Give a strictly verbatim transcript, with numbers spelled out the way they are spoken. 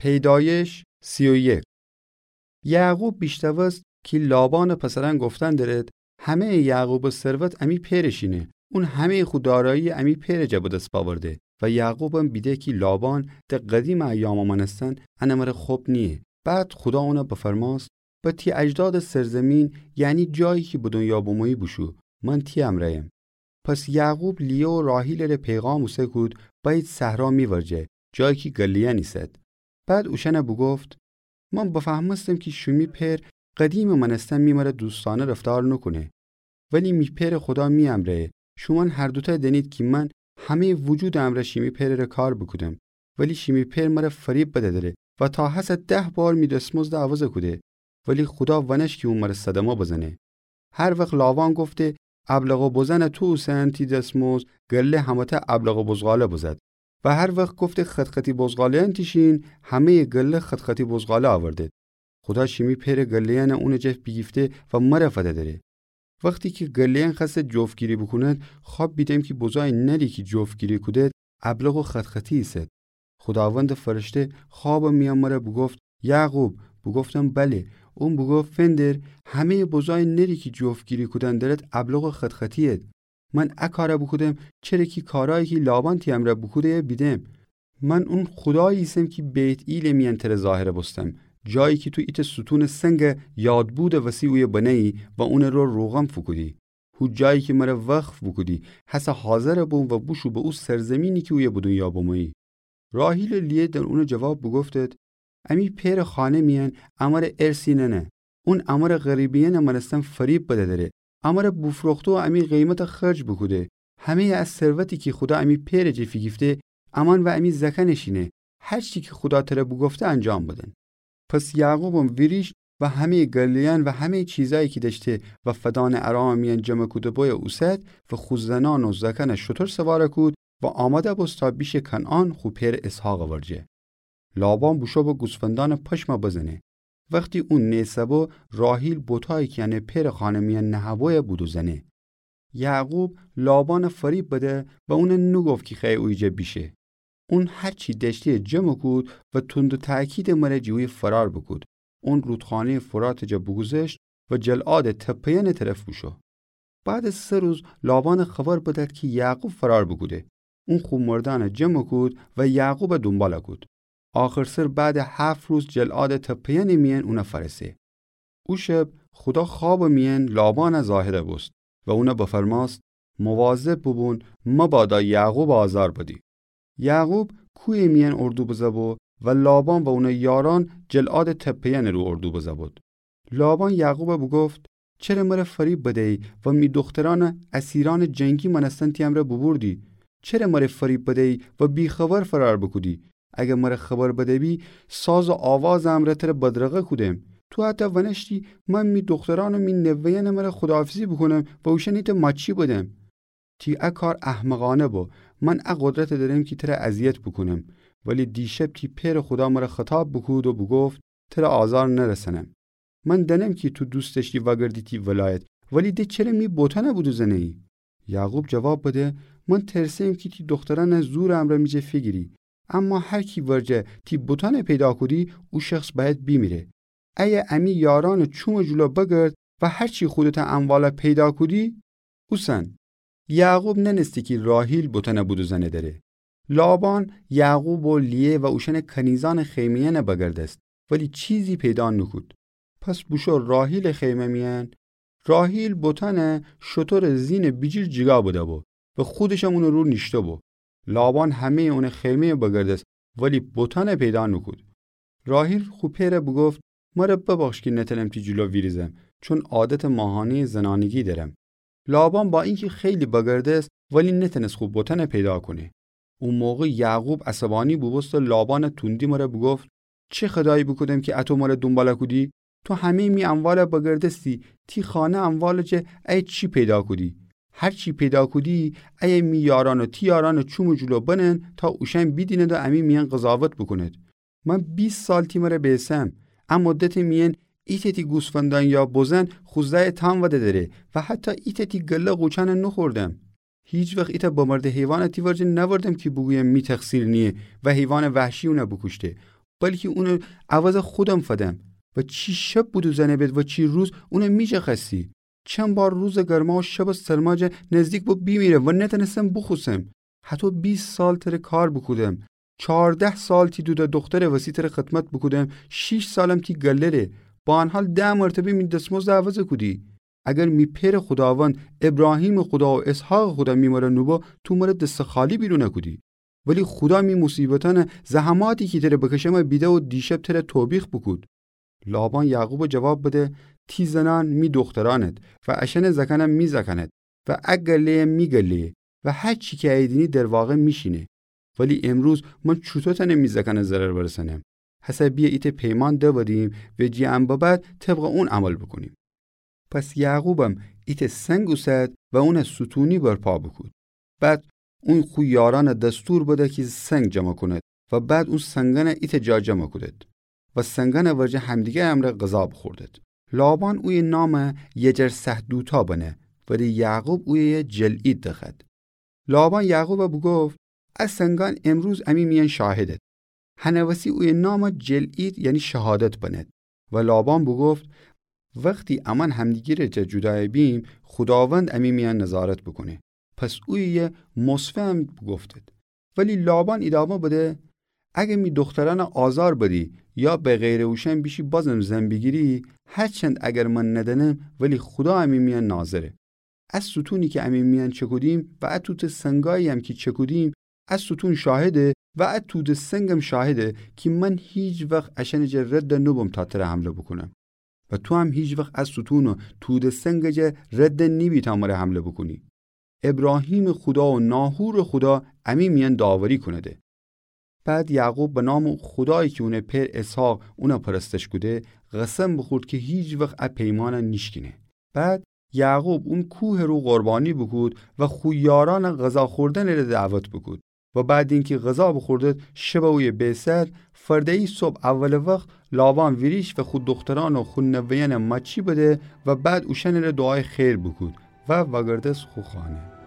پیدایش سی و یک. یعقوب بیشنوست کی لابانٚ پسرأن گفتن درد، همه‌یٚ یعقوبٚ ثروت امی پئرٚ شینه. اون همه‌یٚ خو دارایی امی پئرٚ جا به دس بأورده و یعقوبم بیده کی لابان ده قدیمٚ ایامٚ مأنستن انٚ مره خب نییه. بعد خودا اون بفرماست، به تی اجدادٚ سرزمین، یعنی جایی کی به دنیا بمویی بوشو، من تی امرأیم. پس یعقوب لیه و راحیلٚ ره پیغام اوسه کود، بأیید صحرا می ورجه، جایی کی گله‌یأن ایسد. بعد اوشأن بوگفت، من بفهمستم کی شیمی پئر قدیمٚ مأنستن می مره دوستأنه رفتار نوکونه. ولی می پئرٚ خودا می امرأیه. شومأن هر دوتأ دأنید کی من همه‌یٚ وجودٚ امرأ شیمی پئرٚ ره کار بوکودم. ولی شیمی پئر مره فریب بده‌دره و تا هسه ده بار می دسمزد عوض کوده. ولی خودا ونش کی اون مره صدمه بزنه. هر وخت لابان گفته، ابلق و بزن تو اوسن تی دسمزد، گله همه‌تأ ابلق و بزغاله بزد. و هر وخت گفته، خط‌خطی بزغاله‌یأن تی شین، همه‌یٚ گله خط‌خطی بزغاله آوردد. خودا شیمی پئرٚ گله‌یأن اونٚ جا بیگیفته و مره فده‌دره. وختی کی گله‌یأن خوأسته جفت‌گیری بوکوند، خواب بیدم کی بزای نری کی جفت‌گیری کودد، ابلق و خط‌خطی ایسد. خوداوندٚ فرشته خوابٚ میأن مره بوگفت، یعقوب. بوگفتم، بله. اون بوگفت، فندر، همه‌یٚ بزای نری کی جفت‌گیری کودن درد ابلق و خط‌خطی‌یید. من ا کار بوکودم، چره کی کارایی کی لابان تی امرأ بوکوده‌یه بیدم. من اون خودایی ایسم کی بیت‌ئیلٚ میأن تره ظاهر بوستم، جایی کی تو ایتأ ستونٚ سنگ یادبودٚ وسی اویه بنه‌یی و اونٚ رو روغن فوکودی. هو جایی کی مره وقف بوکودی، هسه حاضر بوم و بوشو به او سرزمینی کی اویه به دونیا بمویی. راحیل و لیه در اونٚ جواب بوگفتد، امی پئرٚ خانه میأن امره ارثی ننه. اون امره غریبه‌یأنٚ مأنستن فریب بده‌دره. امره بوفروخته و امی قیمت خرج بوکوده. همه‌یٚ ا ثروتی کی خودا امی پئرٚ جه فیگیفته، امأن و امی زأکأنٚ شینه. هر چی کی خودا تره بوگفته انجام بدن. پس یعقوبم ویریشت و همه‌یٚ گله‌یأن و همه‌یٚ چیزأیی کی دأشته و فدانٚ ارامٚ میأن جمع کوده بویه اوسد و خو زنأن و زأکأن شتر سوار کود و آماده بوست تا بیشه کنعان خو پئرٚ اسحاقٚ ورجه. لابان بوشو به گوسفندأنٚ پشم بزنه. وختی اون نیسه بو، راحیل بتأیی کی انه پئرٚ خانه میأن نهه‌بویه بودوزنه. یعقوب لابان فریب بده و اون نوگفت کی خوأیه اویه جا بیشه. اون هر چی دأشته‌یه جمع کود و تند و تأکیدٚ مره جٚه اویه فرار بوکود. اون رودخانه‌یٚ فراتٚ جا بوگوذشت و جلعادٚ تپه‌یأنٚ طرف بوشو. بعدٚ سه روز لابان خبر بدأد کی یعقوب فرار بوکوده. اون خو مردأن جمع کود و یعقوب دونبال کود. آخرسر بعدٚ هفت روز جلعادٚ تپه‌یأنٚ میأن اون فأرسه. او شب خودا خوابٚ میأن لابان ظاهر بوست و اون بفرماست، مواظب بوبون مبادا یعقوب آزار بدی. یعقوب کویٚ میأن اردو بزه بو و لابان و اونٚ یارأن جلعادٚ تپه‌یأنٚ رو اردو بزه بود. لابان یعقوب بوگفت، چره مره فریب بدیی و می دوخترأن اسیرأنٚ جنگی مأنستن تی امرأ بوبوردی؟ چره مره فریب بدیی و بی‌خبر فرار بوکودی؟ اگر مره خبر بده‌بی، ساز و آوازٚ امرأ تره بدرقه کودم. تو حتی ونشتی من می دوخترأن و می نوه‌یأنٚ مره خداحافظی بوکونم و اوشأنی ته ماچی بدم. تی ا کار احمقأنه بو. من ا قدرت دأرم کی تره اذیت بوکونم. ولی دیشب تی پئرٚ خودا مره خطاب بوکود و بوگفت، تره آزار نرسأنم. من دأنم کی تو دوست دأشتی وأگردی تی ولایت، ولی د چره می بتأن بودوزنه‌یی؟ یعقوب جواب بده، من ترسه‌یم کی تی دوخترأن زورٚ امرأ می جا فیگیری. اما هر کی ورجه تی بتأن پیدا کودی، او شخص بأید بیمیره. ایه امی یارأنٚ چومٚ جلو بگرد و هر چی خودتٚ اموال پیدا کودی، اوسن. یعقوب نأنستی کی راحیل بتأن بودوزنه دره. لابان یعقوب و لیه و اوشأنٚ کنیزأنٚ خیمه‌یأن بگردست، ولی چیزی پیدا نوکود. پس بوشو راحیلٚ خیمه میأن. راحیل بتأن شترٚ زینٚ بیجیر جیگا بده بو و خودشم اونٚ رو نیشته بو. لابان همه‌یٚ اونٚ خیمه بگردست، ولی بتأن پیدا نوکود. راحیل خو پئر بوگفت، مره ببخش کی نتأنم تی جلو ویریزم، چون عادتٚ ماهانه‌یٚ زنانگی دأرم. لابان با اینکی خیلی بگردست، ولی نتأنست خو بتأن پیدا کونه. او موقع یعقوب عصبأنی بوبوست و لابانٚ توندی مره بوگفت، چه خدایی بوکودم کی اطو مره دونبال کودی؟ تو همه‌یٚ می اموال بگردستی، تی خانه اموالٚ جه ایه چی پیدا کودی؟ هر چی پیدا کودی، ایه می یارأن و تی یارأنٚ چومٚ جلو بنن تا اوشأن بیدیند و امی میأن قضاوت بوکوند. من بیست سال تی مره بیسم، ا مدتٚ میأن ایتأ تی گوسفندأن یا بزن خو زأیٚ تام وده‌دره و حتی ایتأ تی گله قوچأن نوخوردم. هیچ وخت ایتأ بمرده حیوان تی ورجه نأوردم کی بوگویم می تقصیر نییه و حیوانٚ وحشی اون بوکوشته. بلکی اونٚ عوض خودم فدم. و چی شب بودو زنه بید و چی روز، اونٚ می‌شکستی. چند بار روزٚ گرما و شبٚ سرما جا نزدیک بو بیمیرم و نتنستم بوخوسم. هتو بیست سال تره کار بوکودم. چارده سال تی دوده دوخترٚ وسی تره خدمت بوکودم. شیش سالم تی گله ره. با ان حال ده مرتبه می دسمزد عوض کودی. اگر می پئرٚ خوداوند، ابراهیمٚ خودا و اسحاقٚ خودا می مره نوبو، تو مره دستٚ خالی بیرون کودی. ولی خودا می موصیبتأنه، زحماتی کی تره بکشمه بیده و دیشب تره توبیخ بوکود. لابان یعقوبه جواب بده: تی زنأن می دوخترأنت و اشأنٚ زکأنم می زکأنت و ا گله‌یم می گله‌یه و هر چی کی ایدینی در واقع می‌شینه. ولی امروز من چوطو تأنم می زکأنه ضرر برسأنم؟ هسه بیه ایتأ پیمان دودیم و جی ان به بعد طبقٚ اون عمل بوکونیم. پس یعقوبم ایتأ سنگ اوسد و اونه ستونی برپا بوکود. بعد اون خو یارأنه دستور بده کی سنگ جمع کونید و بعد اون سنگأنه ایتأ جا جمع کودید و سنگأنٚ ورجه همدیگرٚ امرأ غذا بوخوردید. لابان اویه نام یجرسهدوتا بنه، ولی یعقوب اویه جلعید دخوأد. لابان یعقوبه بوگفت: ا سنگأن امروز امی میأن شاهدید. هنٚ وسی اویه نام جلعید، یعنی شهادت بنید. و لابان بوگفت: وختی امأن همدیگرٚ جا جودایَ بیم، خوداوند امی میأن نظارت بوکونه. پس اویه مصفه هم بوگفتید. ولی لابان ایدامه بده: اگر می دوخترأنه آزار بدی یا به غیرٚ اوشأن بیشی بازم زن بیگیری، هرچند اگر من ندأنم، ولی خودا امی میأن ناظره. ا ستونی کی امی میأن چکودیم و ا توتٚ سنگایی‌یم کی چکودیم، ا ستون شاهده و ا تودٚ سنگم شاهده کی من هیچ وخت اشأنٚ جا رد نوبوم تا تره حمله بوکونم. و تو هم هیچ وخت ا ستون و تودٚ سنگٚ جا رد نیبی تا مره حمله بوکونی. ابراهیمٚ خودا و ناحورٚ خودا امی میأن داوری کونده. بعد یعقوب به نامٚ خودایی کی اونٚ پئر اسحاق اونه پرستش کوده، قسم بوخورد کی هیچ وخت ا پیمأنه نیشکینه. بعد یعقوب اون کوهٚ رو قربانی بوکود و خو یارأنه غذا خوردنٚ ره دعوت بوکود. و بعد اینکی غذا بوخوردید، شبه اویه بیسد، فرده‌یی صبح اولٚ وخت لابان ویریشت و خو دوخترأن و خو نوه‌یأنه ماچی بده و بعد اوشأنٚ ره دوعایٚ خیر بوکود و وأگردست خو خانه.